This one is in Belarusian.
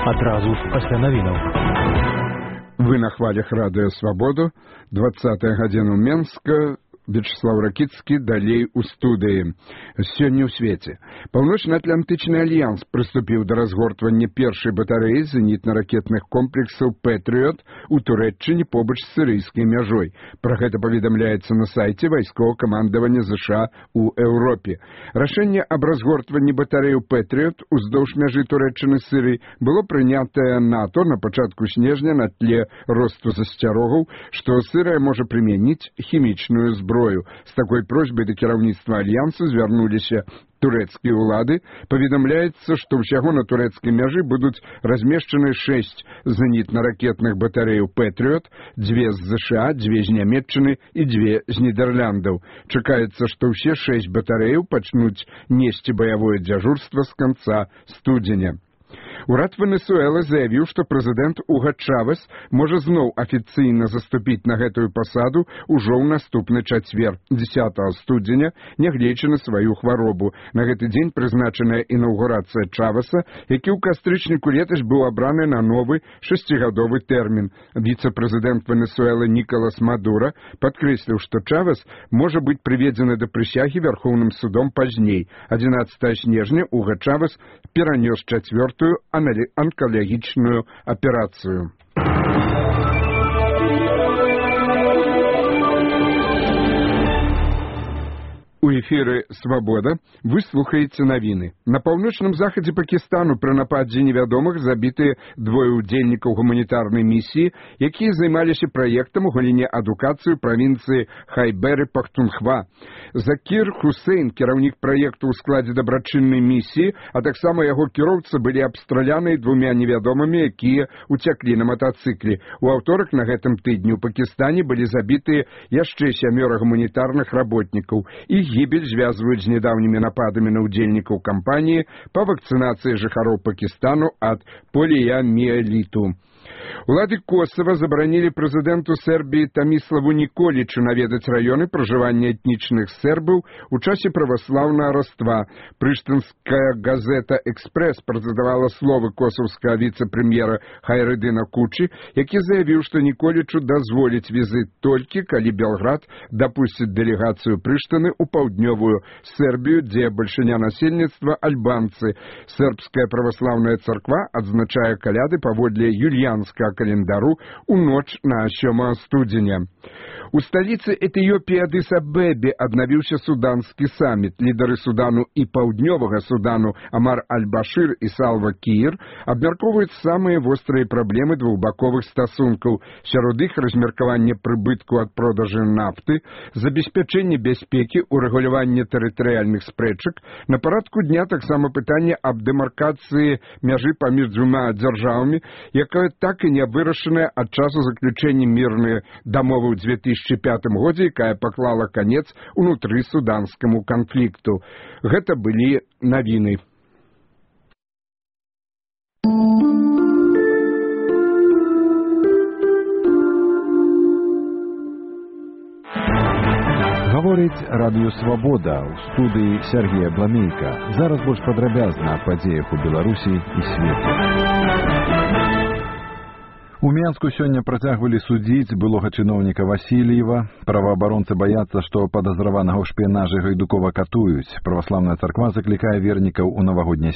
Адразу ж пасля навінаў. Вы на хвалях радыё Свабоду, 20-я гадзіна Менска, Вячеслав Ракіцкі, далей у студыі. Сёння ў свеце. Паўночна-атлантычны альянс прыступіў да разгортвання першай батарэі зенітна-ракетных комплексаў «Пэтрыёт» у Турэччыне побач з сірыйскай мяжой. Пра гэта паведамляецца на сайце вайсковага камандавання ЗША ў Еўропе. Рашэнне аб разгортванні батарэяў «Пэтрыёт» уздоўж мяжы Турэччыны з Сірыяй было прынятае НАТО на пачатку снежня на тле росту засцярогаў, што Сірыя можа прымяніць хімічную зброю. З такой просьбай да кіраўніцтва альянсу звярнуліся турэцкія ўлады. Паведамляецца, што ўсяго на турэцкай мяжы будуць размешчаны 6 зенітна-ракетных батарэяў «Пэтрыёт», 2 з ЗША, 2 з Нямецчыны і 2 з Нідэрляндаў. Чакаецца, што ўсе 6 батарэяў пачнуць несці баявое дзяжурства з канца студзеня. Урад Венесуэлы заявіў, што прэзідэнт Уга Чавес можа зноў афіцыйна заступіць на гэтую пасаду ўжо ў наступны чацвер, 10 студзеня, нягледзячы на сваю хваробу. На гэты дзень прызначаная інаўгурацыя Чавеса, які ў кастрычніку летась быў абраны на новы 6-гадовы тэрмін. Віцэ-прэзідэнт Венесуэлы Нікалас Мадура падкрэсліў, што Чавес можа быць прыведзены да прысягі Вярхоўным судом пазней. 11 снежня Уга Чавес перанёс 4-ю онкалагічную аперацыю. У эфіры «Свабода» вы слухаеце навіны. На паўночным захадзе Пакістану пры нападзе невядомых забітыя 2 удзельнікаў гуманітарнай місіі, якія займаліся праектам у галіне адукацыі ў правінцыі Хайбер-і-Пахтунхва. Закір Хусейн, кіраўнік праекту ў складзе дабрачыннай місіі, а таксама яго кіроўца былі абстраляны 2 невядомымі, якія уцяклі на матацыкле. У аўторак на гэтым тыдні ў Пакістане былі забітыя яшчэ 7 гуманітарных работнікаў. Іх гібель звязваюць з нядаўнімі нападамі на ўдзельнікаў кампаніі па вакцынацыі жыхароў Пакістану ад поліяміэліту. Улады Косава забаранілі прэзідэнту Сербіі Таміславу Ніколічу наведаць раёны пражывання этнічных сербаў у часе праваслаўнага Раства. Прыштынская газета «Экспрэс» прэзентавала словы косаўскага віцэ-прэм'ера Хайрыдына Кучы, які заявіў, што Ніколічу дазволіць візіт толькі, калі Белград дапусціць дэлегацыю Прыштыны ў паўднёвую Сербію, дзе бальшыня насельніцтва альбанцы. Сербская праваслаўная царква адзначае каляды паводле юльянскага календару у ноч на 7 студзеня. У сталіцы Этыёпіі Адыс-Абебе аднавіўся суданскі саміт. Лідары Судану і Паўднёвага Судану Амар Аль-Башыр і Салва Кіір абмяркоўваюць самыя вострыя праблемы двухбаковых стасункаў. Сярод іх размеркаванне прыбытку ад продажы нафты, забеспячэнне бяспекі, урэгуляванне тэрытарыяльных спрэчак. На парадку дня таксама пытанне аб дэмаркацыі мяжы паміж 2 дзяржавамі, якая так і не вырашаная ад часу заключэння мірнай дамовы ў 2005 годзе, якая паклала канец унутры суданскаму канфлікту. Гэта былі навіны. Гаворыць радыё «Свабода» ў студыі Сергея Бламейка. Зараз больш падрабязна аб падзеях у Беларусі і свету. У Менску сёння працягвалі судзіць былога чыноўніка Васильева. Праваабаронцы баяцца, што падазраванага ў шпіянажы Гайдукова катуюць. Праваслаўная царква заклікае вернікаў у навагодняе